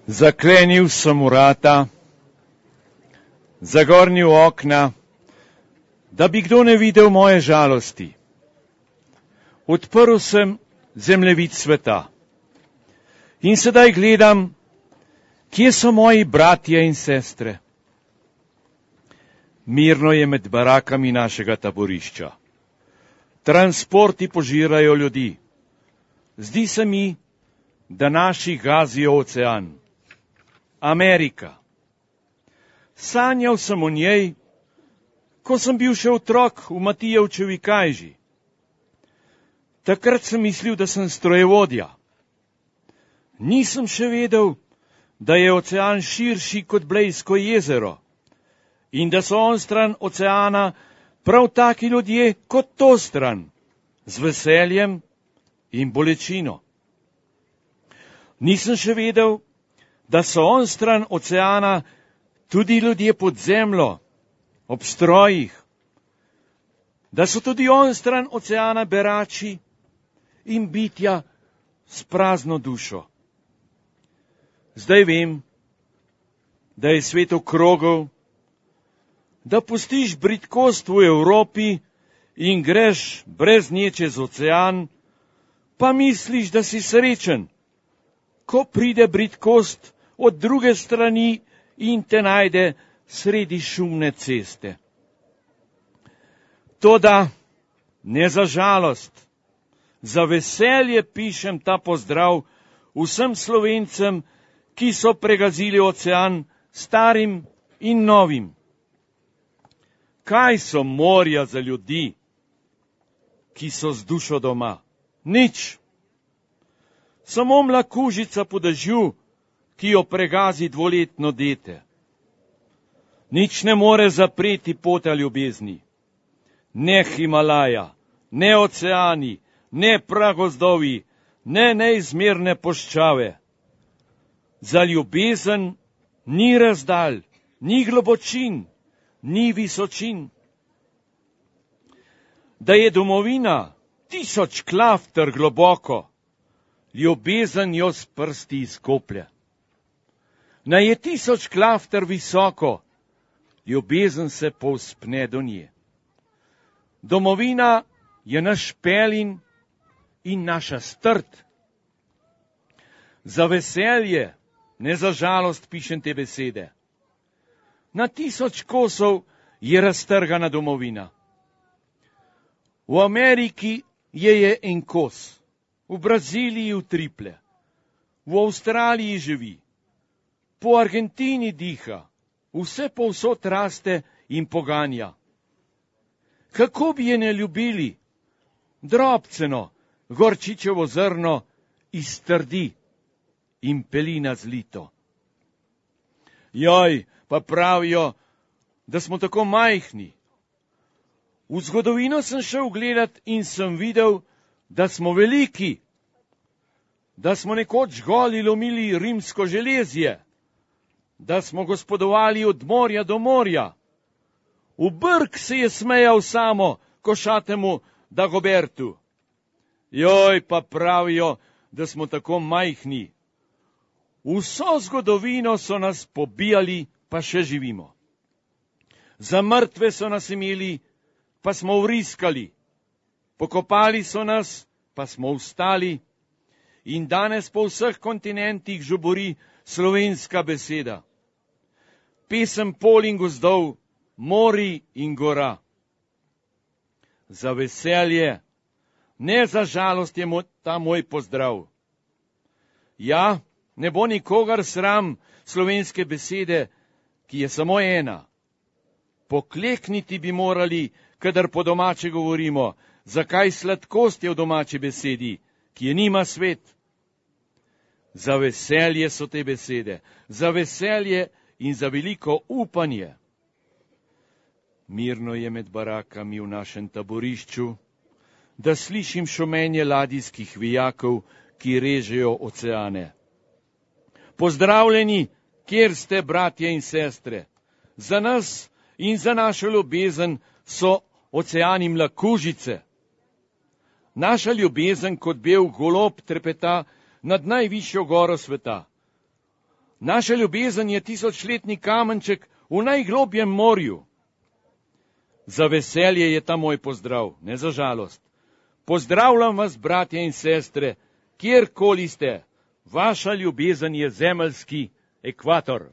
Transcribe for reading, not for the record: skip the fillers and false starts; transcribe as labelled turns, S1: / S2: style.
S1: Zaklenil sem vrata, zagornil okna, da bi kdo ne videl moje žalosti. Odprl sem zemljevid sveta in sedaj gledam, kje so moji bratje in sestre. Mirno je med barakami našega taborišča. Transporti požirajo ljudi. Zdi se mi, da naši gazijo ocean. Amerika. Sanjal sem o njej, ko sem bil še otrok v Matijevčevi kajži. Takrat sem mislil, da sem strojevodja. Nisem še vedel, da je ocean širši kot Blejsko jezero in da so onstran oceana prav taki ljudje kot to stran, z veseljem in bolečino. Nisem še vedel, da so onstran oceana tudi ljudje pod zemljo, ob strojih, da so tudi onstran oceana berači in bitja s prazno dušo. Zdaj vem, da je svet okrogel, da pustiš bridkost v Evropi in greš brez nje čez ocean, pa misliš, da si srečen, ko pride bridkost od druge strani in te najde sredi šumne ceste. Toda ne za žalost, za veselje pišem ta pozdrav vsem Slovencem, ki so pregazili ocean starim in novim. Kaj so morja za ljudi, ki so z dušo doma? Nič. Samo mlakužica po dežju, ki jo pregazi dvoletno dete. Nič ne more zapreti pota ljubezni. Ne Himalaja, ne oceani, ne pragozdovi, ne neizmerne puščave. Za ljubezen ni razdalj, ni globočin, ni visočin. Da je domovina 1000 klafter globoko, ljubezen jo s prsti izkoplje. Na je 1000 klafter visoko, ljubezen se povzpne do nje. Domovina je naš pelin in naša strt. Za veselje, ne za žalost pišem te besede. Na 1000 kosov je raztrgana domovina. V Ameriki je en kos, v Braziliji utriple, v Avstraliji živi, po Argentini diha, vse povsod raste in poganja. Kako bi je ne ljubili? Drobceno, gorčičevo zrno iztrdi in pelina zlito. Joj, pa pravijo, da smo tako majhni. V zgodovino sem šel gledat in sem videl, da smo veliki, da smo nekoč goli lomili rimsko železje, da smo gospodovali od morja do morja. V brk se je smejal samo košatemu Dagobertu. Joj, pa pravijo, da smo tako majhni. Vso zgodovino so nas pobijali, pa še živimo. Za mrtve so nas imeli, pa smo vriskali. Pokopali so nas, pa smo vstali. In danes po vseh kontinentih žubori slovenska beseda. Pesem pol in gozdov, mori in gora. Za veselje, ne za žalost je ta moj pozdrav. Ja, ne bo nikogar sram slovenske besede, ki je samo ena. Poklekniti bi morali, kadar po domače govorimo, zakaj sladkost je v domači besedi, ki je nima svet. Za veselje so te besede, za veselje in za veliko upanje. Mirno je med barakami v našem taborišču, da slišim šumenje ladijskih vijakov, ki režejo oceane. Pozdravljeni, kjer ste, bratje in sestre. Za nas in za našo ljubezen so oceani mlakužice. Naša ljubezen kot bel golob trepeta nad najvišjo goro sveta. Naša ljubezen je 1000-letni kamenček v najglobjem morju. Za veselje je ta moj pozdrav, ne za žalost. Pozdravljam vas, bratje in sestre, kjerkoli ste. Vaša ljubezen je zemeljski ekvator.